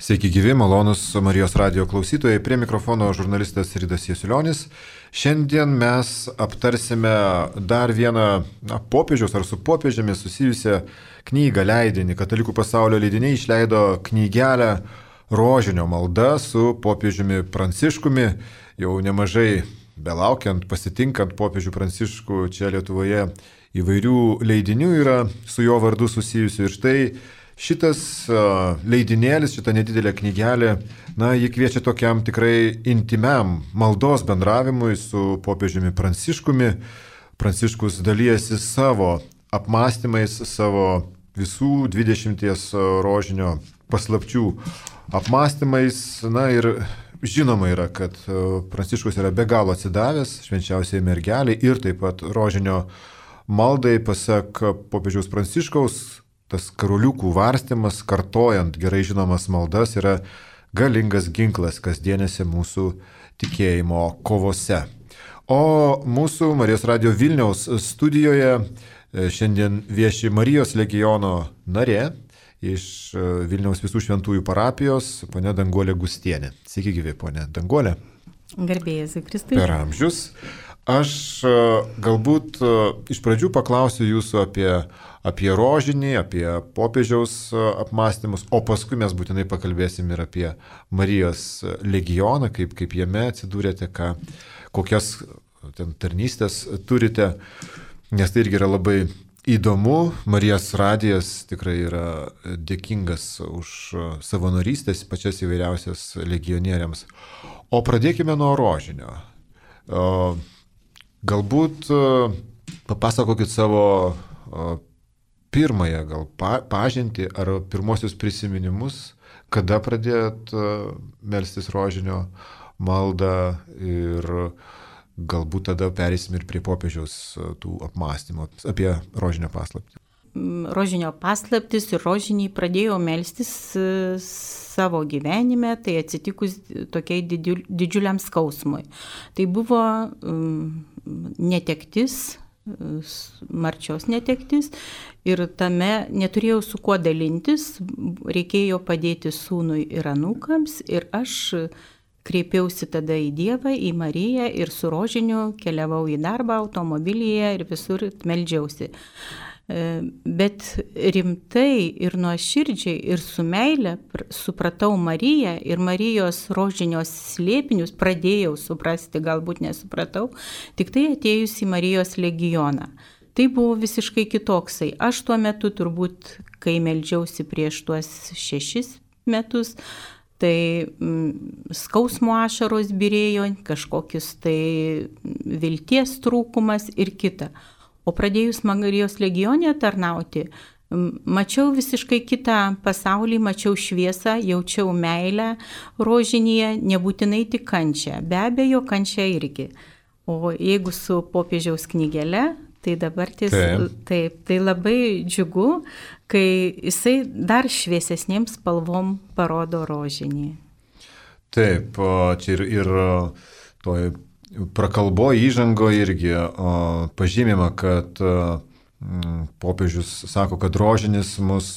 Sveiki gyvi, malonus Marijos radijo klausytojai, prie mikrofono žurnalistas Ridas Jasiulionis. Šiandien mes aptarsime dar vieną popiežiaus ar su popiežiumi susijusią knygą, leidinį. Katalikų pasaulio leidiniai išleido knygelę Rožinio malda su popiežiumi Pranciškumi. Jau nemažai belaukiant, pasitinkant popiežių Pranciškų čia Lietuvoje įvairių leidinių yra su jo vardu susijusių. Ir štai šitas leidinėlis, šita nedidelė knygelė, ji kviečia tokiam tikrai intimiam maldos bendravimui su popiežiumi Pranciškumi. Pranciškus dalyjasi savo apmąstymais, savo visų 20 rožinio paslapčių apmąstymais. Ir žinoma yra, kad Pranciškus yra be galo atsidavęs švenčiausiai mergeliai ir taip pat rožinio maldai. Pasak popiežiaus Pranciškaus, tas karoliukų varstymas, kartojant gerai žinomas maldas, yra galingas ginklas kasdienėse mūsų tikėjimo kovose. O mūsų Marijos radijo Vilniaus studijoje šiandien vieši Marijos legiono narė iš Vilniaus visų šventųjų parapijos, ponia Danguolė Gustienė. Sveiki gyvi, ponia Danguolė. Garbėjai Kristui. Per amžius. Aš galbūt iš pradžių paklausiu jūsų apie rožinį, apie popiežiaus apmąstymus, o paskui mes būtinai pakalbėsim ir apie Marijos legioną, kaip jame atsidūrėte, kokias ten tarnystės turite, nes tai irgi yra labai įdomu. Marijos radijas tikrai yra dėkingas už savanorystės, pačias įvairiausias legionieriams. O pradėkime nuo rožinio. Galbūt papasakokit savo pirmąją gal pažintį ar pirmosius prisiminimus, kada pradėjot melstis rožinio maldą ir galbūt tada pereisim ir prie popiežiaus tų apmąstymų apie rožinio paslaptį. Rožinio paslaptis ir rožinį pradėjau melstis savo gyvenime, tai atsitikus tokiai didžiuliam skausmui. Tai buvo netektis, marčios netektis ir tame neturėjau su kuo dalintis, reikėjo padėti sūnui ir anūkams ir aš kreipiausi tada į Dievą, į Mariją ir su rožiniu keliavau į darbą automobilyje ir visur meldžiausi. Bet rimtai ir nuoširdžiai ir su meile supratau Mariją ir Marijos rožinios slėpinius pradėjau suprasti, galbūt nesupratau, tik tai atėjus į Marijos legioną. Tai buvo visiškai kitoksai. Aš tuo metu turbūt, kai meldžiausi prieš tuos 6 metus, tai skausmo ašaros byrėjo, kažkokius tai vilties trūkumas ir kita. O pradėjus Marijos legione tarnauti, mačiau visiškai kitą pasaulį, mačiau šviesą, jaučiau meilę rožinėje, nebūtinai tik kančią, be abejo kančią irgi. O jeigu su popiežiaus knygele, tai dabar taip, tai labai džiugu, kai jisai dar šviesesnėm spalvom parodo rožinį. Taip, čia ir toj prakalbo įžango irgi pažymima, kad popiežius sako, kad rožinis mus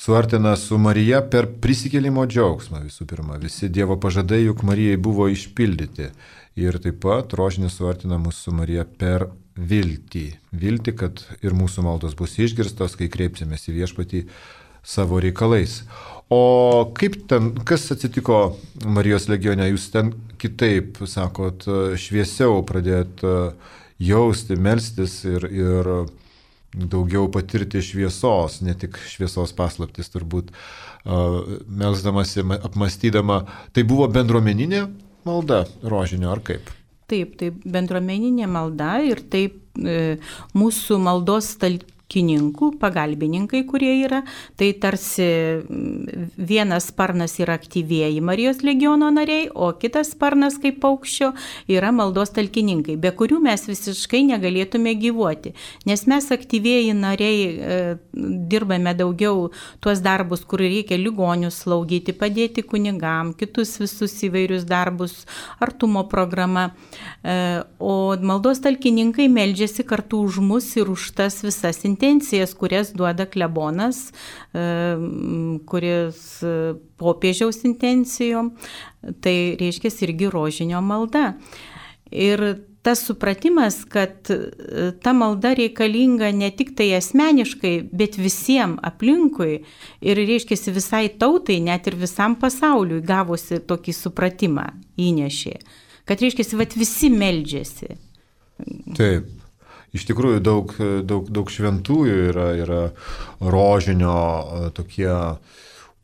suartina su Marija per prisikėlimo džiaugsmą visų pirma. Visi Dievo pažadai juk Marijai buvo išpildyti. Ir taip pat rožinis suartina mus su Marija per viltį. Viltį, kad ir mūsų maldos bus išgirstos, kai kreipsimės į viešpatį savo reikalais. O kaip ten, kas atsitiko Marijos legione? Jūs ten kitaip, sakot, šviesiau pradėjot jausti, melstis ir daugiau patirti šviesos, ne tik šviesos paslaptis turbūt, melsdamasi, apmąstydama. Tai buvo bendruomeninė malda rožinio, ar kaip? Taip, tai bendruomeninė malda ir taip mūsų maldos pagalbininkai, kurie yra, tai tarsi vienas sparnas yra aktyvieji Marijos legiono nariai, o kitas sparnas kaip paukščio yra maldos talkininkai, be kurių mes visiškai negalėtume gyvuoti, nes mes aktyvieji nariai dirbame daugiau tuos darbus, kur reikia ligonius slaugyti, padėti kunigam, kitus visus įvairius darbus, artumo programa, o maldos talkininkai meldžiasi kartu už mus ir už tas visas intencijas, kurias duoda klebonas, kuris popiežiaus intencijom, tai reiškia irgi rožinio malda. Ir tas supratimas, kad ta malda reikalinga ne tik tai asmeniškai, bet visiems aplinkui ir reiškia visai tautai, net ir visam pasauliui gavosi tokį supratimą įnešė, kad reiškia, visi meldžiasi. Taip. Iš tikrųjų daug šventųjų yra rožinio tokie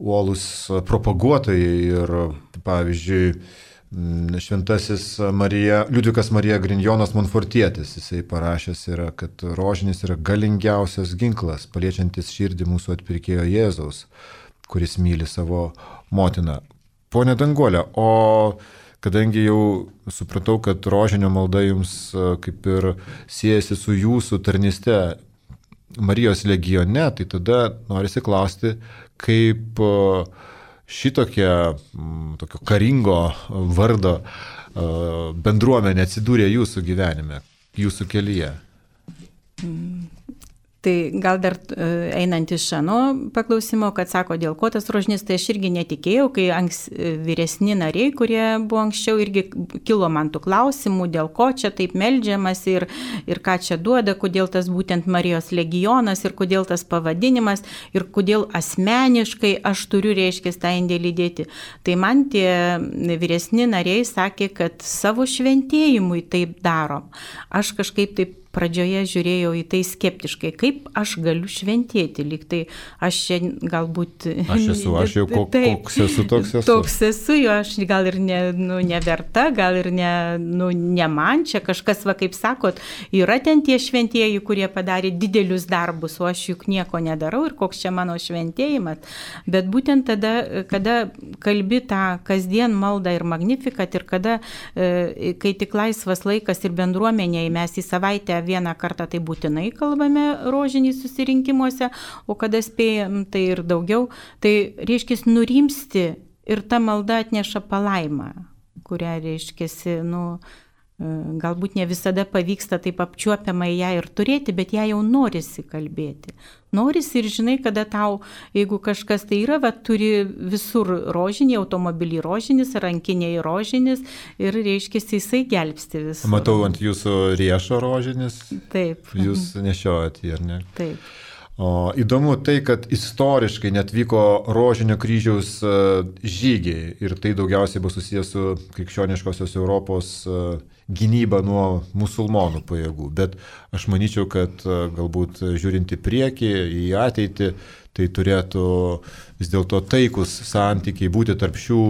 uolūs propaguotojai ir pavyzdžiui šventasis Liudvikas Marija Grignonas Monfortietis, jisai parašęs yra, kad rožinis yra galingiausias ginklas, paliečiantis širdį mūsų atpirkėjo Jėzaus, kuris myli savo motiną. Pone Danguole, o kadangi jau supratau, kad rožinio malda jums kaip ir siejasi su jūsų tarnyste Marijos legione, tai tada norisi klausti, kaip tokio karingo vardo bendruomenė atsidūrė jūsų gyvenime, jūsų kelyje. Tai gal dar einant iš šano paklausimo, kad sako, dėl ko tas rožinis, tai aš irgi netikėjau, kai vyresni nariai, kurie buvo anksčiau, irgi kilo man tų klausimų, dėl ko čia taip meldžiamas ir ką čia duoda, kodėl tas būtent Marijos legionas ir kodėl tas pavadinimas ir kodėl asmeniškai aš turiu, reiškia, tą indėlį dėti. Tai man tie vyresni nariai sakė, kad savo šventėjimui taip darom. Aš kažkaip taip pradžioje žiūrėjau į tai skeptiškai, kaip aš galiu šventėti, lyg tai aš čia galbūt... Aš jau koks esu, toks esu. Toks esu, jo aš gal ir neverta, gal ir ne man, čia kažkas, kaip sakot, yra ten tie šventieji, kurie padarė didelius darbus, o aš juk nieko nedarau ir koks čia mano šventėjimas. Bet būtent tada, kada kalbi tą kasdien maldą ir magnifikat ir kada, kai tik laisvas laikas ir bendruomenėje mes į savaitę vieną kartą tai būtinai kalbame rožinį susirinkimuose, o kada spėjam tai ir daugiau, tai reiškia nurimsti ir ta malda atneša palaimą, kurią reiškia, galbūt ne visada pavyksta taip apčiuopiamai ją ir turėti, bet ją jau norisi kalbėti. Norisi ir žinai, kada tau, jeigu kažkas tai yra, turi visur rožinį, automobilį rožinis, rankiniai rožinis ir reiškia, jisai gelbsti visur. Matau ant jūsų riešo rožinis. Taip. Jūs nešiojat jį, ar ne? Taip. O įdomu tai, kad istoriškai net vyko rožinio kryžiaus žygiai ir tai daugiausiai buvo susijęs su krikščioniškosios Europos gynyba nuo musulmonų pajėgų. Bet aš manyčiau, kad galbūt žiūrint į priekį, į ateitį, tai turėtų vis dėlto taikus santykiai būti tarp šių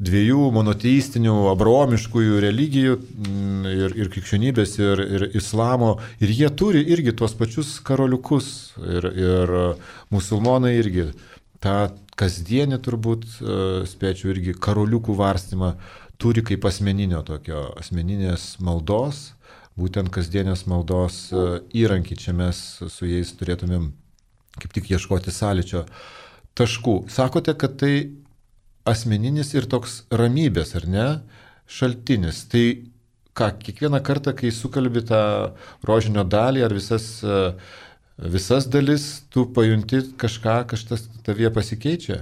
dviejų monoteistinių, abraomiškųjų religijų ir krikščionybės ir islamo. Ir jie turi irgi tuos pačius karoliukus. Ir musulmonai irgi tą kasdienį turbūt, spėčiau, irgi karoliukų varstymą turi kaip asmeninės maldos, būtent kasdienės maldos įrankį. Čia mes su jais turėtumėm kaip tik ieškoti sąlyčio taškų. Sakote, kad tai asmeninis ir toks ramybės, ar ne, šaltinis. Tai ką, kiekvieną kartą, kai sukalbi tą rožinio dalį ar visas dalis, tu pajunti kažkas tavyje pasikeičia?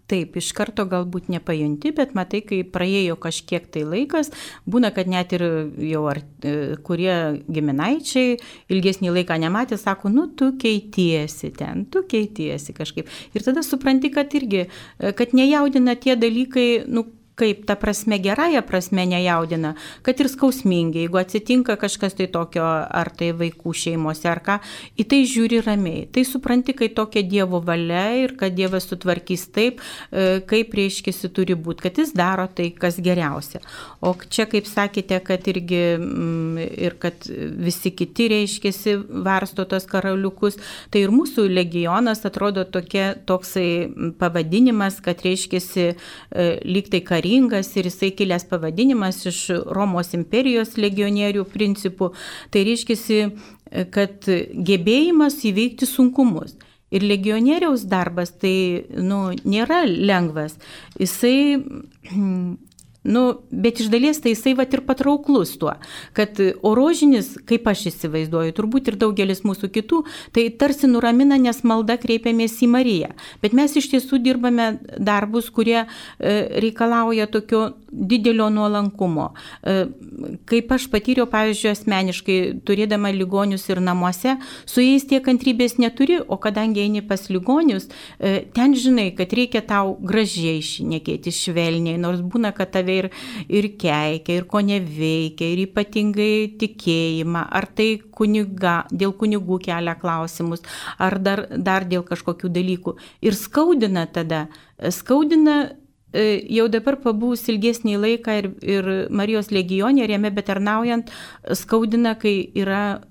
Taip, iš karto galbūt nepajunti, bet matai, kai praėjo kažkiek tai laikas, būna, kad net ir jau kurie giminaičiai ilgesnį laiką nematė, sako, tu keitiesi kažkaip. Ir tada supranti, kad irgi, kad nejaudina tie dalykai, kaip ta prasme, gerąją prasme nejaudina, kad ir skausmingai, jeigu atsitinka kažkas tai tokio, ar tai vaikų šeimose, ar ką, į tai žiūri ramiai. Tai supranti, kai tokia Dievo valia ir kad Dievas sutvarkys taip, kaip reiškisi turi būti, kad jis daro tai, kas geriausia. O čia, kaip sakėte, kad irgi ir kad visi kiti reiškisi varsto tos karaliukus, tai ir mūsų legionas atrodo toksai pavadinimas, kad reiškisi lyg tai karingas ir jisai kilęs pavadinimas iš Romos imperijos legionierių principų. Tai reiškia, kad gebėjimas įveikti sunkumus. Ir legionieriaus darbas tai nėra lengvas. Jisai Bet iš dalies tai jisai vat ir patrauklus tuo, kad o rožinis, kaip aš įsivaizduoju, turbūt ir daugelis mūsų kitų, tai tarsi nuramina, nes malda kreipiamės į Mariją. Bet mes iš tiesų dirbame darbus, kurie reikalauja tokio didelio nuolankumo. Kaip aš patyriau, pavyzdžiui, asmeniškai, turėdama ligonius ir namuose, su jais tiek kantrybės neturi, o kadangi eini pas ligonius, ten žinai, kad reikia tau gražiai šnekėti, švelniai, nors būna, kad tave ir keikia, ir ko neveikia, ir ypatingai tikėjimą, ar tai dėl kunigų kelia klausimus, ar dar dėl kažkokių dalykų. Ir skaudina jau dabar pabūs ilgesnį laiką ir Marijos legionė, ir jame betarnaujant, skaudina, kai yra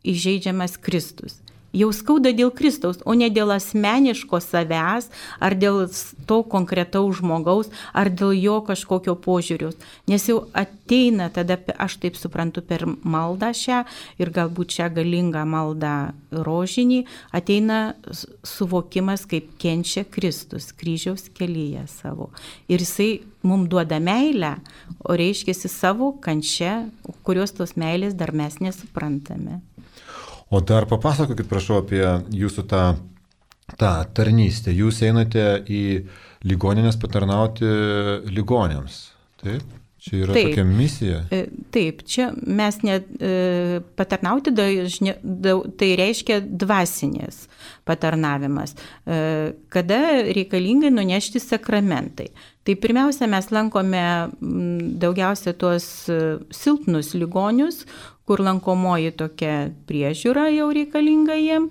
įžeidžiamas Kristus. Jau skauda dėl Kristaus, o ne dėl asmeniško savęs, ar dėl to konkretaus žmogaus, ar dėl jo kažkokio požiūrius. Nes jau ateina tada, aš taip suprantu, per maldą šią ir galbūt šią galingą maldą rožinį, ateina suvokimas, kaip kenčia Kristus kryžiaus kelyje savo. Ir jisai mums duoda meilę, o reiškiasi savo kančia, kurios tos meilės dar mes nesuprantame. O dar papasakokit, prašau, apie jūsų tą tarnystę. Jūs einate į ligoninės patarnauti ligoniams. Taip? Čia yra tokia misija. Taip, čia mes patarnauti tai reiškia dvasinės patarnavimas, kada reikalingai nunešti sakramentai. Tai pirmiausia, mes lankome daugiausia tuos silpnus ligonius, kur lankomoji tokia priežiūra jau reikalinga jiem,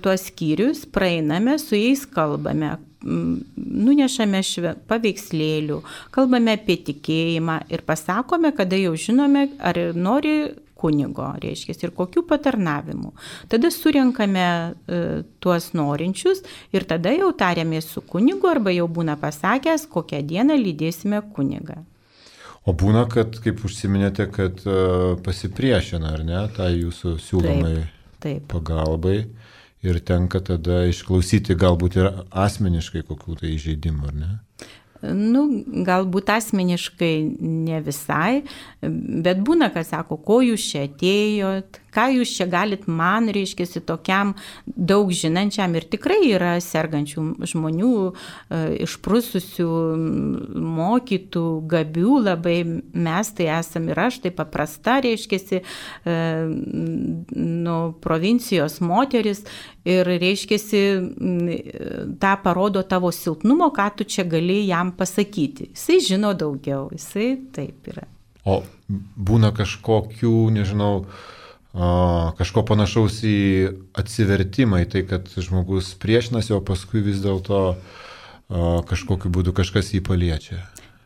tuos skyrius, praeiname, su jais kalbame, nunešame paveikslėlių, kalbame apie tikėjimą ir pasakome, kada jau žinome, ar nori kunigo, reiškia, ir kokių patarnavimų. Tada surenkame tuos norinčius ir tada jau tariamės su kunigu arba jau būna pasakęs, kokią dieną lydėsime kunigą. O būna, kad, kaip užsiminėte, kad pasipriešina, ar ne, tai jūsų siūlomai pagalbai ir tenka tada išklausyti galbūt ir asmeniškai kokių tai įžeidimų, ar ne? Galbūt asmeniškai ne visai, bet būna, kad sako, ko jūs čia atėjot, ką jūs čia galit man, reiškiasi, tokiam daug žinančiam, ir tikrai yra sergančių žmonių, išprususių, mokytų, gabių labai, mes tai esam ir aš, tai paprasta, reiškiasi, provincijos moteris, ir reiškiasi, tą parodo tavo silpnumo, ką tu čia gali jam pasakyti. Jisai žino daugiau, jisai taip yra. O būna kažkokių, nežinau, kažko panašaus į atsivertimą, į tai, kad žmogus priešinasi, o paskui vis dėlto kažkokiu būdu kažkas jį paliečia.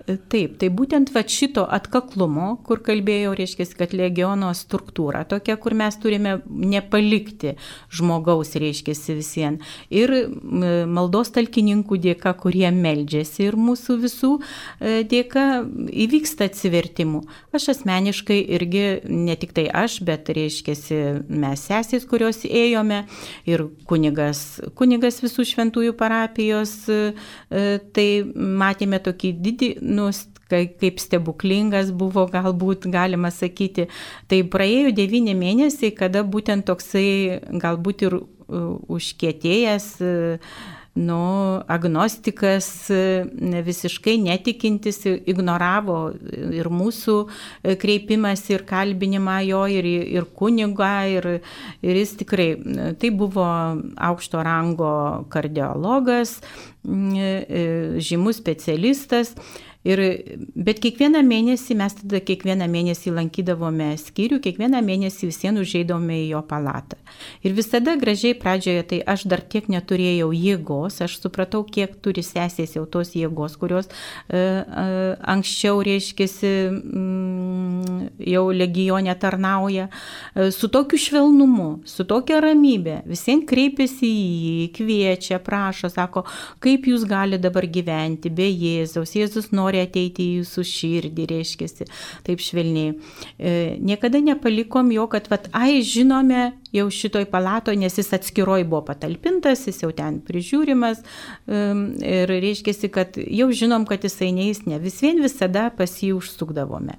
Taip, tai būtent šito atkaklumo, kur kalbėjau, reiškia, kad legiono struktūra tokia, kur mes turime nepalikti žmogaus, reiškia, visien. Ir maldos talkininkų dėka, kurie meldžiasi, ir mūsų visų dėka įvyksta atsivertimų. Aš asmeniškai irgi, ne tik tai aš, bet, reiškia, mes sesės, kurios ėjome, ir kunigas visų šventųjų parapijos, tai matėme tokį didį, kaip stebuklingas buvo, galbūt galima sakyti. Tai praėjo 9 mėnesiai, kada būtent toksai galbūt ir užkietėjęs, agnostikas, visiškai netikintis, ignoravo ir mūsų kreipimas ir kalbinimą jo, ir kunigą, ir jis tikrai, tai buvo aukšto rango kardiologas, žymus specialistas. Bet kiekvieną mėnesį, mes tada kiekvieną mėnesį lankydavome skyrių, kiekvieną mėnesį visiems užeidavome į jo palatą. Ir visada gražiai pradžioje, tai aš dar tiek neturėjau jėgos, aš supratau, kiek turi sesės jau tos jėgos, kurios anksčiau, reiškiasi, jau legione tarnauja, su tokiu švelnumu, su tokia ramybė, visiems kreipiasi į jį, kviečia, prašo, sako, kaip jūs galite dabar gyventi be Jėzaus, Jėzus nori nori ateiti į jūsų širdį, reiškiasi, taip švelniai. Niekada nepalikom jo, kad, žinome jau šitoj palatoje, nes jis atskiroj buvo patalpintas, jis jau ten prižiūrimas ir reiškiasi, kad jau žinom, kad jisai neis, ne vis vien visada pas jį užsukdavome.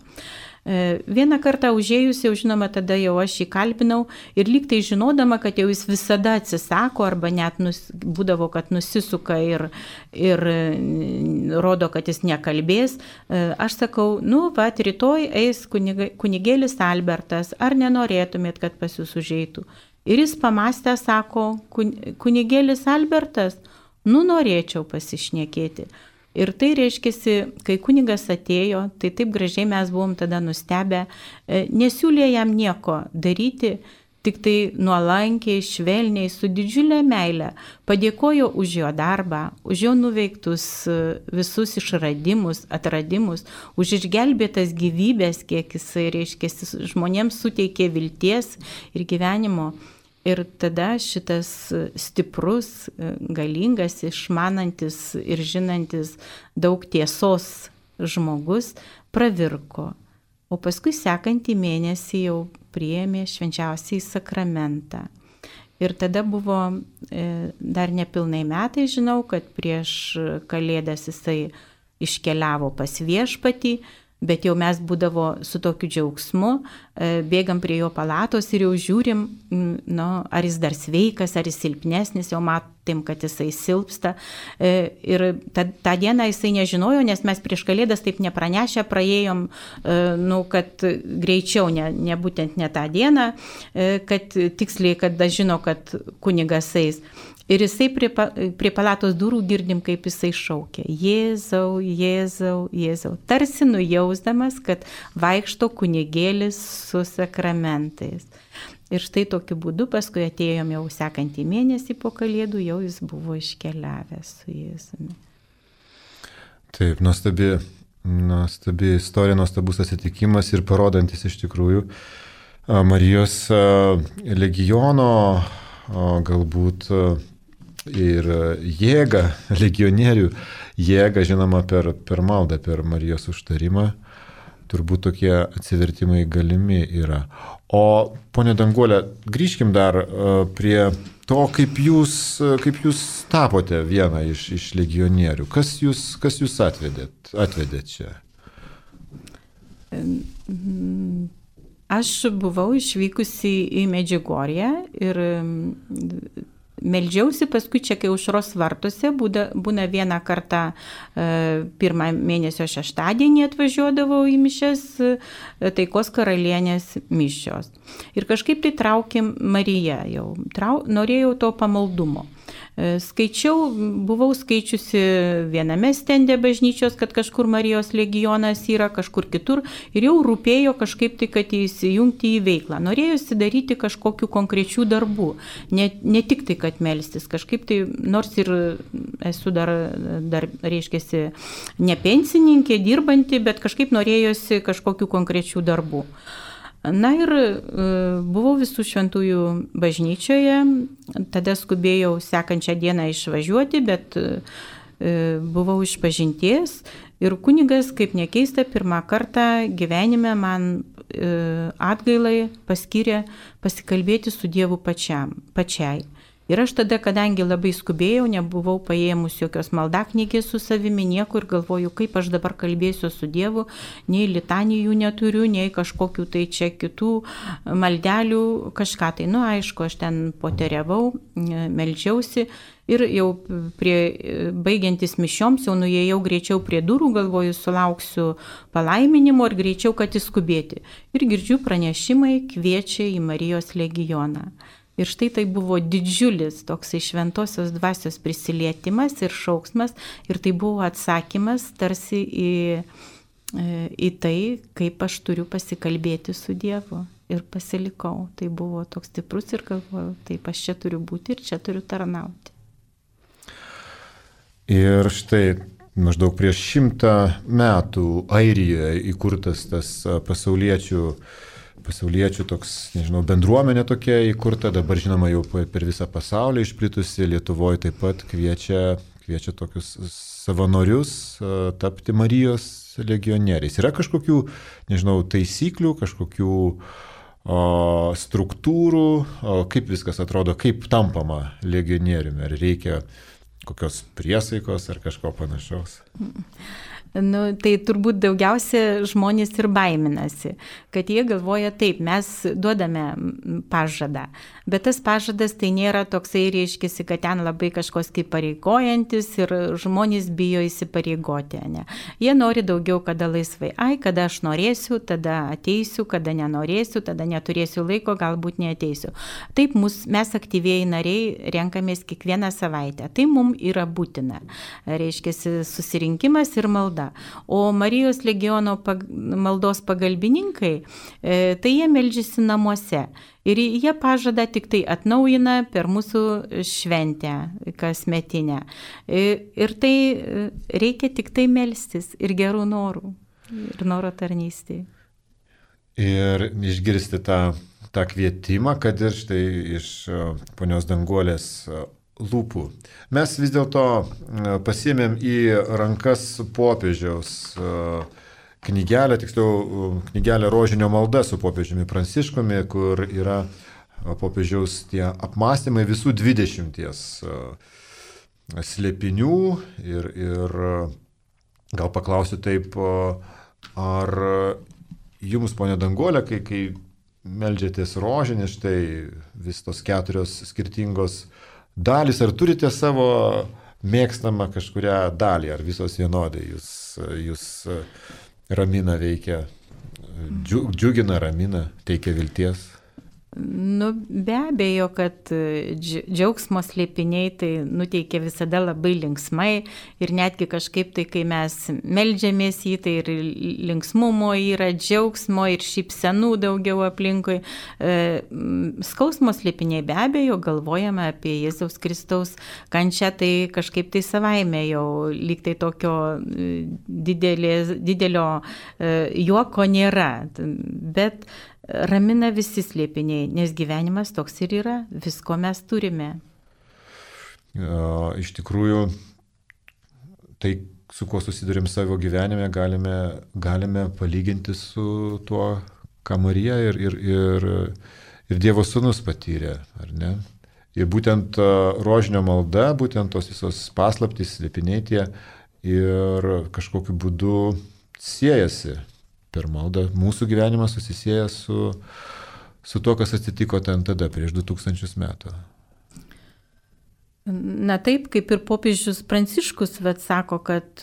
Vieną kartą užėjus, jau žinoma, tada jau aš jį kalbinau ir lyg tai žinodama, kad jau jis visada atsisako arba net būdavo, kad nusisuka ir rodo, kad jis nekalbės, aš sakau, rytoj eis kunigėlis Albertas, ar nenorėtumėt, kad pas jūs užeitų? Ir jis pamastė, sako, kunigėlis Albertas, norėčiau pasišnekėti. Ir tai reiškiasi, kai kunigas atėjo, tai taip gražiai mes buvom tada nustebę, nesiūlė jam nieko daryti, tik tai nuolankiai, švelniai, su didžiulė meile padėkojo už jo darbą, už jo nuveiktus visus išradimus, atradimus, už išgelbėtas gyvybės, kiek jisai reiškiasi, žmonėms suteikė vilties ir gyvenimo. Ir tada šitas stiprus, galingas, išmanantis ir žinantis daug tiesos žmogus pravirko. O paskui sekantį mėnesį jau priėmė švenčiausiąjį sakramentą. Ir tada buvo dar nepilnai metai, žinau, kad prieš Kalėdas jisai iškeliavo pas Viešpatį, bet jau mes būdavo su tokiu džiaugsmu, bėgam prie jo palatos ir jau žiūrim, ar jis dar sveikas, ar jis silpnesnis, jau matėm, kad jisai silpsta. Ir tą dieną jisai nežinojo, nes mes prieš Kalėdas taip nepranešę praėjom, kad greičiau, ne būtent ne tą dieną, kad tiksliai, kada žino, kad kunigas eis. Ir jisai prie palatos durų girdim, kaip jisai šaukia. Jėzau, Jėzau, Jėzau. Tarsi nujausdamas, kad vaikšto kunigėlis su sakramentais. Ir štai tokiu būdu paskui atėjom jau sekantį mėnesį po Kalėdų, jau jis buvo iškeliavęs su Jėzumi. Taip, nuostabi istorija, nuostabus atsitikimas ir parodantis iš tikrųjų Marijos legiono galbūt ir jėgą, legionierių jėgą, žinoma, per maldą, per Marijos užtarimą, turbūt tokie atsivertimai galimi yra. O, ponė Danguolė, grįžkim dar prie to, kaip jūs tapote vieną iš legionierių. Kas jūs atvedėt čia? Aš buvau išvykusi į Medžiugorję ir meldžiausi, paskui čia, kai aušros vartuose, būna vieną kartą pirmą mėnesio šeštadienį atvažiuodavau į mišias Taikos karalienės mišios. Ir kažkaip tai traukė Marija jau, norėjau to pamaldumo. Buvau skaičiusi viename stende bažnyčios, kad kažkur Marijos legionas yra, kažkur kitur ir jau rūpėjo kažkaip tai, kad įsijungti į veiklą. Norėjusi daryti kažkokių konkrečių darbų, ne tik tai, kad melstis, kažkaip tai, nors ir esu dar reiškiasi, ne pensininkė, dirbanti, bet kažkaip norėjusi kažkokių konkrečių darbų. Na ir buvau Visų šventųjų bažnyčioje, tada skubėjau sekančią dieną išvažiuoti, bet buvau išpažinties ir kunigas, kaip nekeista, pirmą kartą gyvenime man atgailai paskyrė pasikalbėti su Dievu pačiai. Ir aš tada, kadangi labai skubėjau, nebuvau paėmus jokios maldaknygės su savimi, nieko ir galvoju, kaip aš dabar kalbėsiu su Dievu, nei litanijų neturiu, nei kažkokių tai čia kitų maldelių, kažką tai. Aišku, aš ten poteriavau, meldžiausi ir jau baigiantis mišioms, jau nuėjau greičiau prie durų, galvoju, sulauksiu palaiminimo ir greičiau, kad įskubėti. Ir girdžiu pranešimai kviečia į Marijos legioną. Ir štai tai buvo didžiulis toksai šventosios dvasios prisilietimas ir šauksmas, ir tai buvo atsakymas tarsi į tai, kaip aš turiu pasikalbėti su Dievu. Ir pasilikau. Tai buvo toks stiprus ir galvojau, taip aš čia turiu būti ir čia turiu tarnauti. Ir štai maždaug prieš 100 metų Airijoje įkurtas tas pasauliečių pasauliečių toks, nežinau, bendruomenė tokia įkurta, dabar žinoma jau per visą pasaulį išplitusi, Lietuvoje taip pat kviečia tokius savanorius tapti Marijos legionieriais. Yra kažkokių, nežinau, taisyklių, kažkokių struktūrų, kaip viskas atrodo, kaip tampama legionieriumi, ar reikia kokios priesaikos ar kažko panašaus? Tai turbūt daugiausia žmonės ir baiminasi, kad jie galvoja taip, mes duodame pažadą, bet tas pažadas tai nėra toksai, reiškia, kad ten labai kažkos kaip pareigojantis ir žmonės bijo įsipareigoti. Ne? Jie nori daugiau, kada laisvai. Kada aš norėsiu, tada ateisiu, kada nenorėsiu, tada neturėsiu laiko, galbūt neateisiu. Taip mes aktyviai nariai renkamės kiekvieną savaitę. Tai mums yra būtina. Reiškia, susirinkimas ir malda. O Marijos legiono maldos pagalbininkai, tai jie meldžiasi namuose. Ir jie pažadą tik tai atnaujina per mūsų šventę kasmetinę. Ir tai reikia tik tai melstis ir gerų norų, ir noro tarnystėje. Ir išgirsti tą kvietimą, kad ir štai iš ponios Danguolės lūpų. Mes vis dėlto pasiėmėm į rankas popiežiaus knygelę, tiksliau knygelę Rožinio malda su popiežiumi Pranciškumi, kur yra popiežiaus tie apmąstymai visų 20 slėpinių ir gal paklausiu taip, ar jums, ponia Danguolė, kai meldžiatės rožinį, štai vis tos 4 skirtingos dalys, ar turite savo mėgstamą kažkurią dalį, ar visos vienodai jūs ramina, veikia, džiugina, ramina, teikia vilties? Be abejo, kad džiaugsmo slėpiniai tai nuteikia visada labai linksmai ir netgi kažkaip tai, kai mes meldžiamės į tai ir linksmumo yra, džiaugsmo ir šypsenų daugiau aplinkui. Skausmo slėpiniai be abejo, galvojame apie Jėzaus Kristaus kančią, tai kažkaip tai savaime jau lyg tai tokio didelio juoko nėra, bet ramina visi slėpiniai, nes gyvenimas toks ir yra, visko mes turime. Iš tikrųjų, tai, su kuo susidurim savo gyvenime, galime palyginti su tuo, ką Marija ir Dievo Sūnus patyrė, ar ne? Ir būtent rožinio malda, būtent tos visos paslaptys, slėpiniai tie ir kažkokiu būdu siejasi. Per maldą mūsų gyvenimas susisieja su to, kas atsitiko ten tada, prieš 2000 metų. Na taip, kaip ir popiežius Pranciškus sako, kad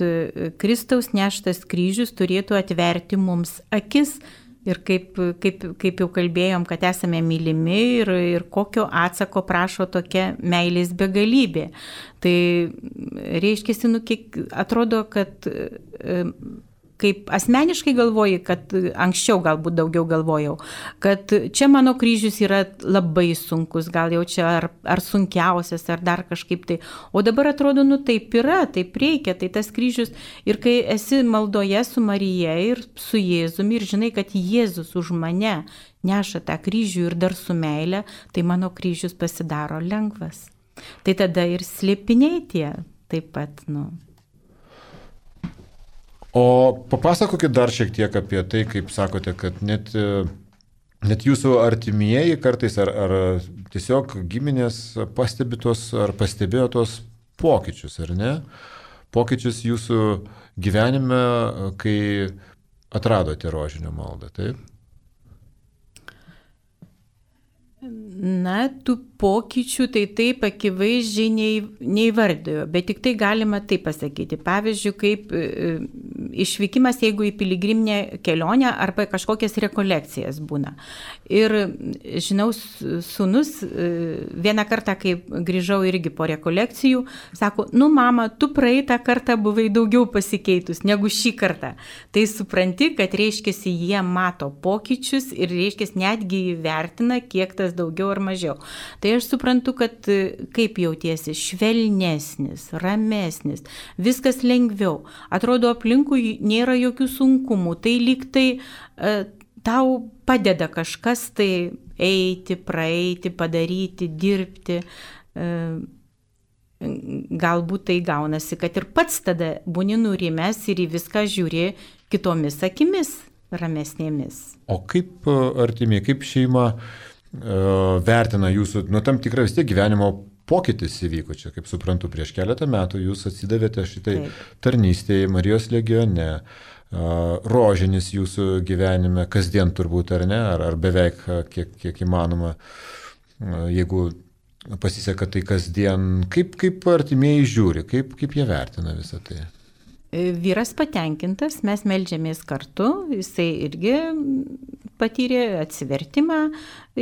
Kristaus neštas kryžius turėtų atverti mums akis ir kaip jau kalbėjom, kad esame mylimi ir kokio atsako prašo tokia meilės begalybė. Tai reiškia, atrodo, kad kaip asmeniškai galvoju, kad anksčiau galbūt daugiau galvojau, kad čia mano kryžius yra labai sunkus, gal jau čia ar sunkiausias, ar dar kažkaip tai. O dabar atrodo, taip yra, taip reikia, tai tas kryžius. Ir kai esi maldoje su Marija ir su Jėzumi ir žinai, kad Jėzus už mane neša tą kryžių ir dar su meile, tai mano kryžius pasidaro lengvas. Tai tada ir slėpiniai tie taip pat, O papasakokit dar šiek tiek apie tai, kaip sakote, kad net jūsų artimieji kartais ar tiesiog giminės pastebėjo tos pokyčius, ar ne? Pokyčius jūsų gyvenime, kai atradote rožinio maldą, taip? Na, tų pokyčių tai taip akivaizdžiai neįvardėjo, bet tik tai galima taip pasakyti. Pavyzdžiui, kaip išvykimas, jeigu į piligriminę kelionę arba kažkokias rekolekcijas būna. Ir žinau, sūnus vieną kartą, kai grįžau irgi po rekolekcijų, sako, mama, tu praeitą kartą buvai daugiau pasikeitus negu šį kartą. Tai supranti, kad reiškiasi jie mato pokyčius ir reiškiasi netgi įvertina, kiek tas daugiau ar mažiau. Tai aš suprantu, kad kaip jautiesi, švelnesnis, ramesnis, viskas lengviau. Atrodo, aplinkui nėra jokių sunkumų. Tai lyg tai tau padeda kažkas tai eiti, praeiti, padaryti, dirbti. Galbūt tai gaunasi, kad ir pats tada būni nurimęs ir į viską žiūri kitomis akimis, ramesnėmis. O kaip artimiai, kaip šeima vertina jūsų, tam tikrą vis tiek gyvenimo pokytis įvyko čia, kaip suprantu, prieš keletą metų jūs atsidavėte šitai tarnystėje Marijos legione, rožinis jūsų gyvenime, kasdien turbūt ar ne, ar beveik kiek įmanoma, jeigu pasiseka tai kasdien, kaip artimieji žiūri, kaip jie vertina visą tai? Vyras patenkintas, mes meldžiamės kartu, jisai irgi patyrė atsivertimą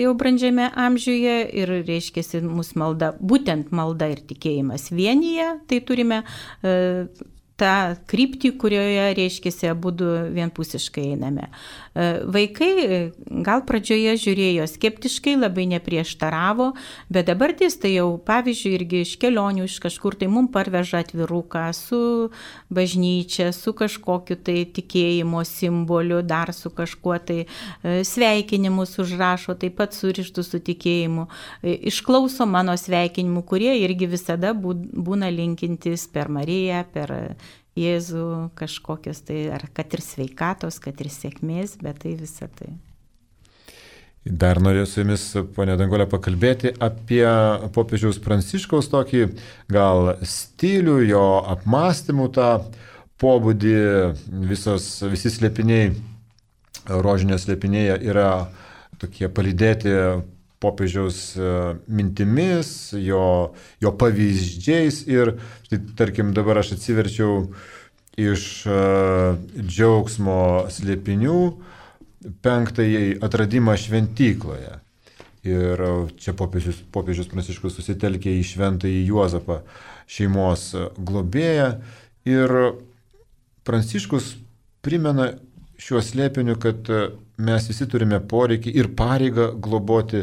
jau brandžiame amžiuje ir reiškiasi mūsų malda, būtent malda ir tikėjimas vienyje, tai turime tą kryptį, kurioje reiškiasi abudu vienpusiškai einame. Vaikai gal pradžioje žiūrėjo skeptiškai, labai neprieštaravo, bet dabar tai jau, pavyzdžiui, irgi iš kelionių, iš kažkur tai mums parveža atviruką su bažnyčia, su kažkokiu tai tikėjimo simboliu, dar su kažkuo tai sveikinimus užrašo, taip pat surištų su tikėjimu. Išklauso mano sveikinimų, kurie irgi visada būna linkintis per Mariją, per Jėzų kažkokios tai, ar kad ir sveikatos, kad ir sėkmės, bet tai visą tai. Dar norėjau su jumis, ponia Danguolė, pakalbėti apie popiežiaus Pranciškaus tokį gal stilių, jo apmąstymų tą pobūdį, visi slėpiniai, rožinio slėpinėje yra tokie palydėti popiežiaus mintimis, jo pavyzdžiais ir, štai, tarkim, dabar aš atsiverčiau iš džiaugsmo slėpinių 5-ąjį atradimą šventykloje. Ir čia popiežius Pranciškus susitelkė į šventąjį Juozapą, šeimos globėją. Ir Pranciškus primena šiuo slėpiniu, kad mes visi turime poreikį ir pareigą globoti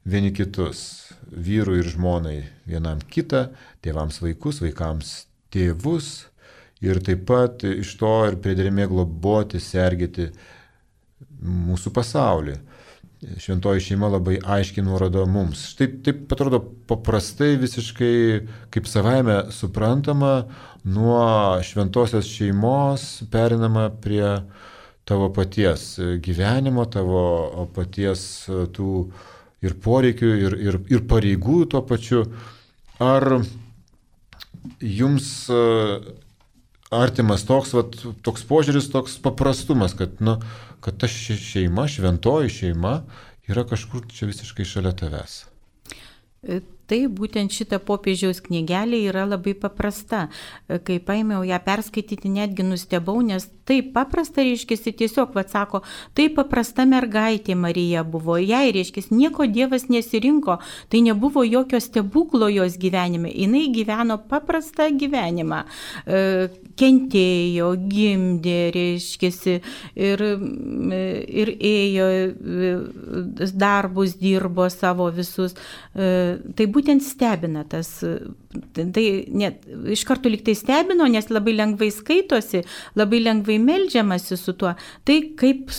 vieni kitus, vyrui ir žmonai vienam kitą, tėvams vaikus, vaikams tėvus ir taip pat iš to ir priedermė globoti, sergėti mūsų pasaulį. Šventoji šeima labai aiškiai nurodo mums. Štai taip atrodo paprastai visiškai kaip savaime suprantama, nuo šventosios šeimos perinama prie tavo paties gyvenimo, tavo paties tų ir poreikių, ir pareigų tuo pačiu. Ar jums artimas toks požiūris, toks paprastumas, kad ta šeima, šventoji šeima yra kažkur čia visiškai šalia tavęs? Tai būtent šita popiežiaus knygelė yra labai paprasta. Kai paėmiau ją perskaityti, netgi nustebau, nes taip paprasta, reiškiasi, tiesiog, sako, tai paprasta mergaitė Marija buvo. Jai, reiškiasi, nieko Dievas nesirinko, tai nebuvo jokio stebuklo jos gyvenime. Jinai gyveno paprastą gyvenimą. Kentėjo, gimdė, reiškiasi, ir ėjo, darbus dirbo savo visus. Tai būtent stebina tas, tai net iš karto lyg tai stebino, nes labai lengvai skaitosi, labai lengvai meldžiamasi su tuo, tai kaip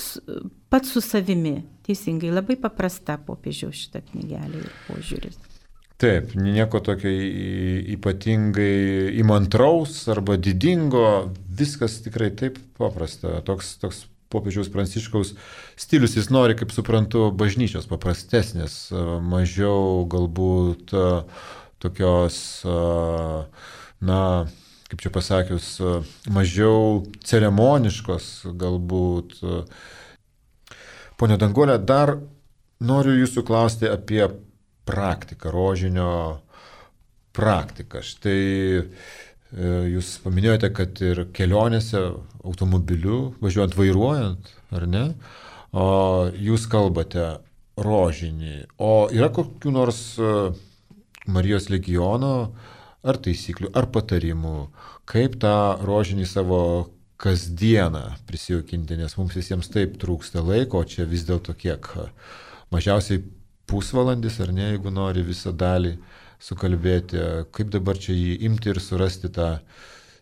pats su savimi, teisingai, labai paprasta popiežiaus šitą knygelę ir požiūris. Taip, nieko tokio ypatingai įmantraus arba didingo, viskas tikrai taip paprasta, toks popiežiaus Pranciškaus stilius, jis nori, kaip suprantu, bažnyčios paprastesnės, mažiau galbūt tokios, kaip čia pasakius, mažiau ceremoniškos galbūt. Pone Danguolė, dar noriu jūsų klausti apie praktiką, rožinio praktiką. Štai jūs paminėjote, kad ir kelionėse automobiliu, važiuojant, vairuojant, ar ne, jūs kalbate rožinį. O yra kokių nors Marijos legiono ar taisyklių, ar patarimų, kaip tą rožinį savo kasdieną prisijaukinti, nes mums visiems taip trūksta laiko, o čia vis dėlto kiek, mažiausiai pusvalandis, ar ne, jeigu nori visą dalį sukalbėti, kaip dabar čia jį imti ir surasti tą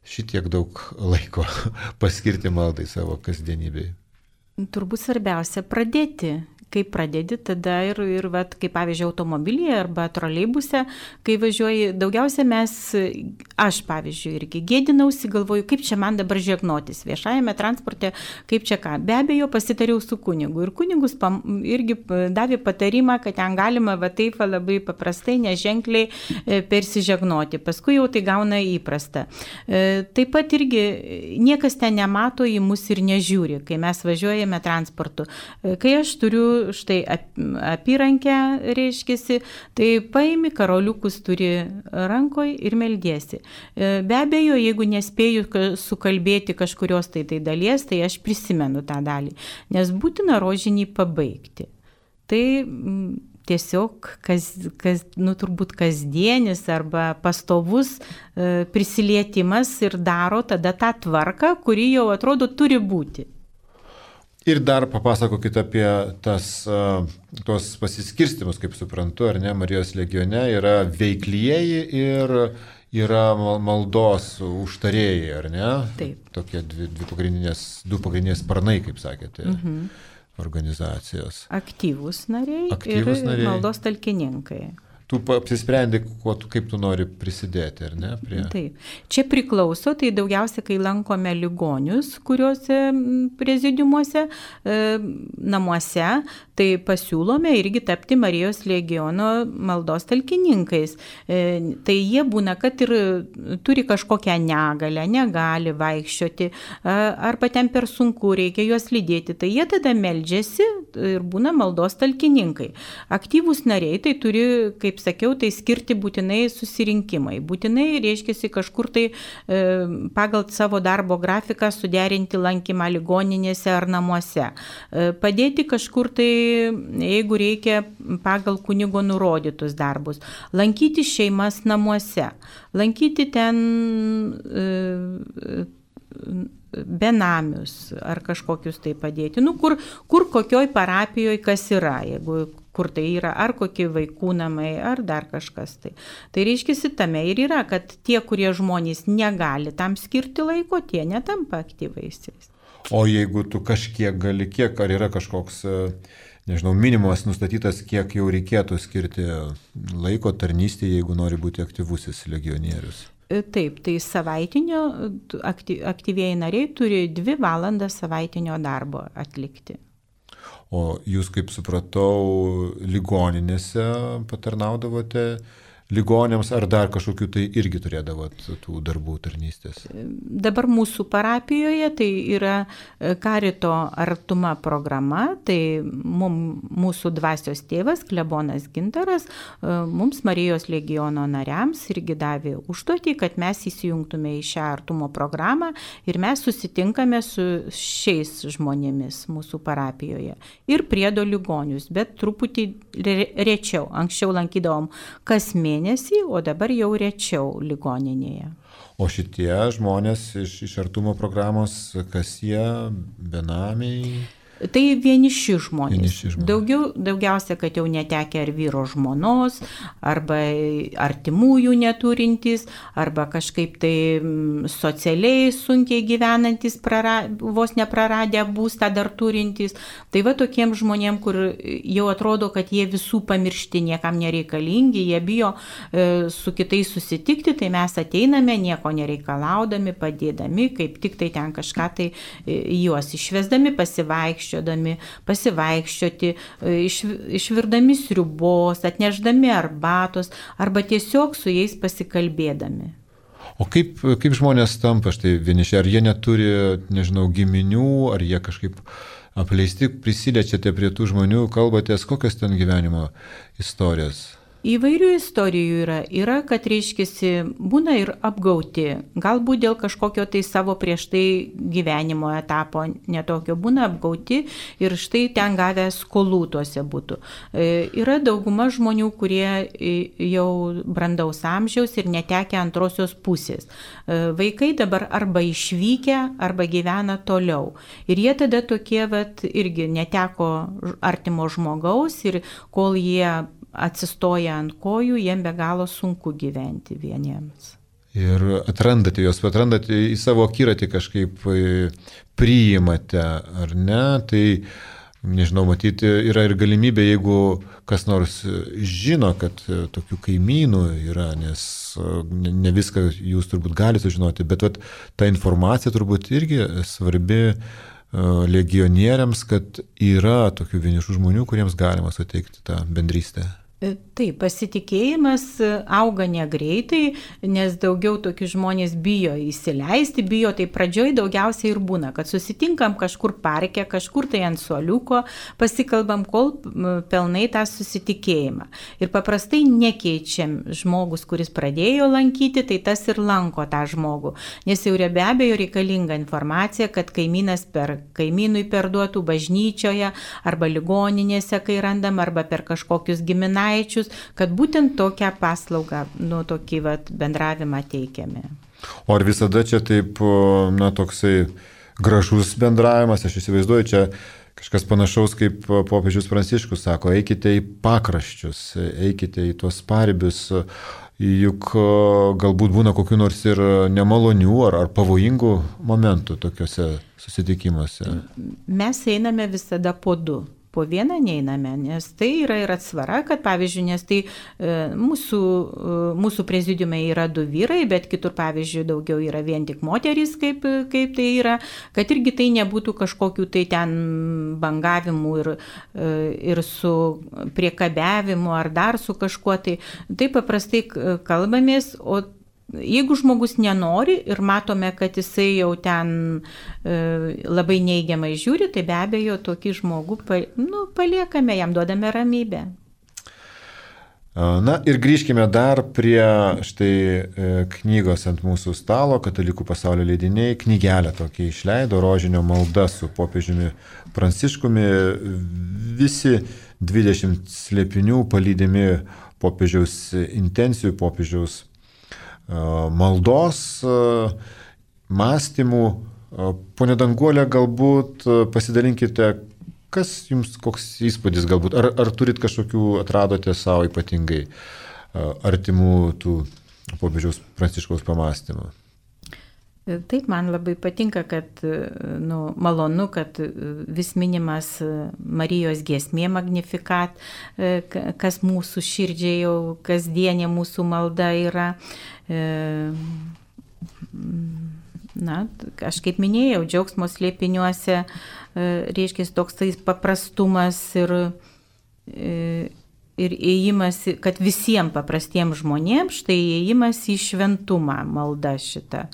šitiek daug laiko paskirti maldai savo kasdienybėje. Turbūt svarbiausia pradėti. Kai pradedi, tada ir vat, kaip pavyzdžiui, automobilyje arba troleibuse, kai važiuoji, daugiausia aš pavyzdžiui, irgi gėdinausi, galvoju, kaip čia man dabar žegnotis viešajame transporte, kaip čia ką. Be abejo, pasitariau su kunigu ir kunigus irgi davė patarimą, kad ten galima va taip labai paprastai, neženkliai persižegnoti. Paskui jau tai gauna įprasta. Taip pat irgi niekas ten nemato, į mus ir nežiūri, kai mes važiuojame transportu. Kai aš turiu štai apyrankę, reiškiasi, tai paimi, karoliukus turi rankoje ir meldiesi. Be abejo, jeigu nespėju sukalbėti kažkurios tai dalies, tai aš prisimenu tą dalį, nes būtina rožinį pabaigti. Tai tiesiog turbūt kasdienis arba pastovus prisilietimas ir daro tada tą tvarką, kuri jau atrodo turi būti. Ir dar papasakokit apie tos pasiskirstimus, kaip suprantu, ar ne, Marijos legione yra veiklieji ir yra maldos užtarėjai, ar ne? Taip. Tokie du pagrindinės sparnai, kaip sakėte, organizacijos. Aktyvūs nariai ir maldos talkininkai. Tu apsisprendi, kaip tu nori prisidėti, ar ne? Taip. Čia priklauso, tai daugiausia, kai lankome ligonius, kuriuose prezidiumuose, namuose, tai pasiūlome irgi tapti Marijos legiono maldos talkininkais. Tai jie būna, kad ir turi kažkokią negalę, negali vaikščioti, arba ten per sunku, reikia juos lydėti. Tai jie tada meldžiasi ir būna maldos talkininkai. Aktyvūs nariai tai turi, kaip sakiau, tai skirti būtinai susirinkimai. Būtinai, reiškiasi, kažkur tai pagal savo darbo grafiką suderinti lankymą ligoninėse ar namuose. Padėti kažkur tai, jeigu reikia, pagal kunigo nurodytus darbus. Lankyti šeimas namuose. Lankyti ten benamius ar kažkokius tai padėti. Kur kokioj parapijoje kas yra, jeigu kur tai yra, ar kokie vaikų namai, ar dar kažkas tai. Tai reiškia, tame ir yra, kad tie, kurie žmonės negali tam skirti laiko, tie netampa aktyvaisiais. O jeigu tu kažkiek gali, ar yra kažkoks, nežinau, minimumas nustatytas, kiek jau reikėtų skirti laiko tarnystėje, jeigu nori būti aktyvusis legionierius? Taip, tai savaitinio aktyvieji nariai turi 2 valandas savaitinio darbo atlikti. O jūs, kaip supratau, ligoninėse patarnaudavote ligoniams, ar dar kažkokių tai irgi turėdavot tų darbų tarnystės? Dabar mūsų parapijoje tai yra Karito artuma programa, tai mūsų dvasios tėvas, klebonas Gintaras, mums Marijos legiono nariams irgi davė užduotį, kad mes įsijungtume į šią artumo programą ir mes susitinkame su šiais žmonėmis mūsų parapijoje. Ir priedo ligonius, bet truputį rečiau. Anksčiau lankydavom kas mėnesį, o dabar jau rečiau ligoninėje. O šitie žmonės iš artumo programos, kas jie, benamiai? Tai vieniši žmonės. Daugiausia, kad jau netekę ar vyro žmonos, arba artimųjų neturintys, arba kažkaip tai socialiai sunkiai gyvenantys, vos nepraradę būstą dar turintys. Tai va tokiem žmonėm, kur jau atrodo, kad jie visų pamiršti, niekam nereikalingi, jie bijo su kitais susitikti, tai mes ateiname nieko nereikalaudami, padėdami, kaip tik tai ten kažką tai juos išvesdami, pasivaikščioti, išvirdami sriubos, atnešdami arbatos arba tiesiog su jais pasikalbėdami. O kaip žmonės tampa štai vieniši? Ar jie neturi, nežinau, giminių, ar jie kažkaip apleisti, prisiliečiate prie tų žmonių, kalbatės, kokios ten gyvenimo istorijos? Įvairių istorijų yra, kad reiškiasi, būna ir apgauti, galbūt dėl kažkokio tai savo prieš tai gyvenimo etapo netokio, būna apgauti ir štai ten gavę skolų tuose būtų. Yra dauguma žmonių, kurie jau brandaus amžiaus ir netekę antrosios pusės. Vaikai dabar arba išvykę, arba gyvena toliau. Ir jie tada tokie, irgi neteko artimo žmogaus ir kol jie atsistoja ant kojų, jiem be galo sunku gyventi vieniems. ir atrandate į savo akiratį kažkaip priimate, ar ne, tai nežinau, matyti yra ir galimybė, jeigu kas nors žino, kad tokių kaimynų yra, nes ne viską jūs turbūt galite sužinoti, bet ta informacija turbūt irgi svarbi legionieriams, kad yra tokių vienišų žmonių, kuriems galima suteikti tą bendrystę. Taip, pasitikėjimas auga negreitai, nes daugiau tokių žmonės bijo įsileisti, tai pradžioj daugiausiai ir būna, kad susitinkam kažkur parke, kažkur tai ant suoliuko, pasikalbam, kol pelnai tą susitikėjimą. Ir paprastai nekeičiam žmogus, kuris pradėjo lankyti, tai tas ir lanko tą žmogų, nes jau be abejo reikalinga informacija, kad kaimynui perduotų bažnyčioje arba ligoninėse, kai randam, arba per kažkokius giminaičius, kad būtent tokią paslaugą, tokį bendravimą teikiame. O ar visada čia taip, toksai gražus bendravimas, aš įsivaizduoju, čia kažkas panašaus kaip popiežius Pranciškus sako, eikite į pakraščius, eikite į tuos paribius, juk galbūt būna kokių nors ir nemalonių ar pavojingų momentų tokiuose susitikimuose. Mes einame visada po du. Po vieną neiname, nes tai yra ir atsvara, kad pavyzdžiui, nes tai mūsų prezidiume yra 2 vyrai, bet kitur pavyzdžiui daugiau yra vien tik moterys, kaip tai yra, kad irgi tai nebūtų kažkokių tai ten bangavimų ir su priekabiavimu ar dar su kažkuo, tai paprastai kalbamės, o jeigu žmogus nenori ir matome, kad jisai jau ten labai neigiamai žiūri, tai be abejo tokį žmogų paliekame, jam duodame ramybę. Na ir grįžkime dar prie štai knygos ant mūsų stalo, Katalikų pasaulio leidiniai, knygelę tokia išleido, Rožinio malda su popiežiumi Pranciškumi, visi 20 slėpinių palydimi popiežiaus intencijų, popiežiaus maldos, mąstymų. Pone Danguolė, galbūt pasidalinkite, kas jums, koks įspūdis galbūt, ar turit kažkokių, atradote savo ypatingai artimų tų popiežiaus Pranciškaus pamąstymų? Taip, man labai patinka, kad malonu, kad vis minimas Marijos giesmė Magnificat, kas mūsų širdžiai jau kasdienė mūsų malda yra. Aš kaip minėjau, džiaugsmo slėpiniuose reiškia toks paprastumas ir įėjimas, kad visiems paprastiems žmonėms, štai įėjimas į šventumą malda šitą.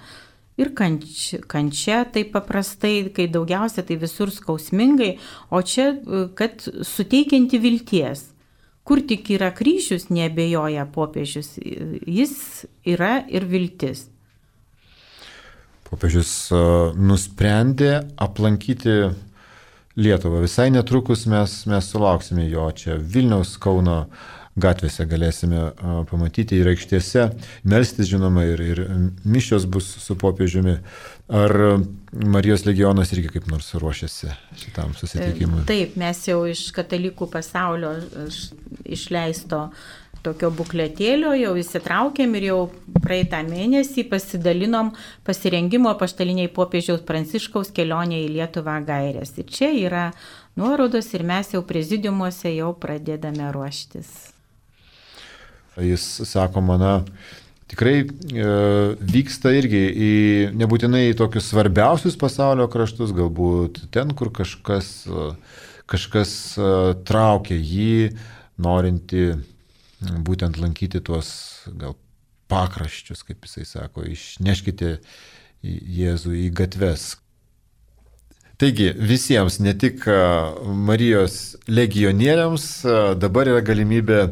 Ir kančia tai paprastai, kai daugiausia tai visur skausmingai, o čia, kad suteikianti vilties. Kur tik yra kryžius, neabejoja popiežius, jis yra ir viltis. Popiežius nusprendė aplankyti Lietuvą. Visai netrukus mes sulauksime jo čia Vilniaus, Kauno gatvėse galėsime pamatyti ir aikštėse, melstis žinoma ir mišios bus su popiežiumi. Ar Marijos legionas irgi kaip nors ruošiasi šitam susitikimui? Taip, mes jau iš Katalikų pasaulio išleisto tokio bukletėlio jau įsitraukėm ir jau praeitą mėnesį pasidalinom pasirengimo apaštaliniai popiežiaus Pranciškaus kelionė į Lietuvą gairės. Ir čia yra nuorodos ir mes jau prezidiumuose jau pradedame ruoštis. Jis sako, tikrai vyksta irgi nebūtinai į tokius svarbiausius pasaulio kraštus, galbūt ten, kur kažkas traukia jį, norinti būtent lankyti tuos gal pakraščius, kaip jisai sako, išneškite Jėzų į gatves. Taigi visiems, ne tik Marijos legionieriams, dabar yra galimybė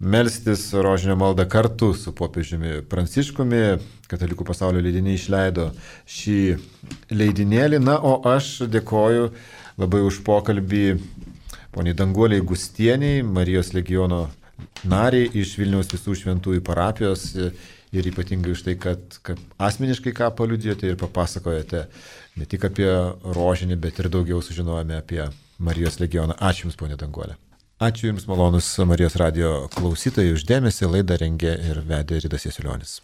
melstis rožinio maldą kartu su popiežiumi Pranciškumi. Katalikų pasaulio leidiniai išleido šį leidinėlį. Na, o aš dėkoju labai už pokalbį poniai Danguolei Gustieniai, Marijos legiono nariai iš Vilniaus Visų Šventųjų parapijos ir ypatingai už tai, kad asmeniškai ką paliudijote ir papasakojate ne tik apie rožinį, bet ir daugiau sužinojome apie Marijos legioną. Ačiū Jums, ponia Danguolė. Ačiū Jums, malonus Marijos radijo klausytojai, už dėmesį. Laidą rengė ir vedė Ridas Jasiulionis.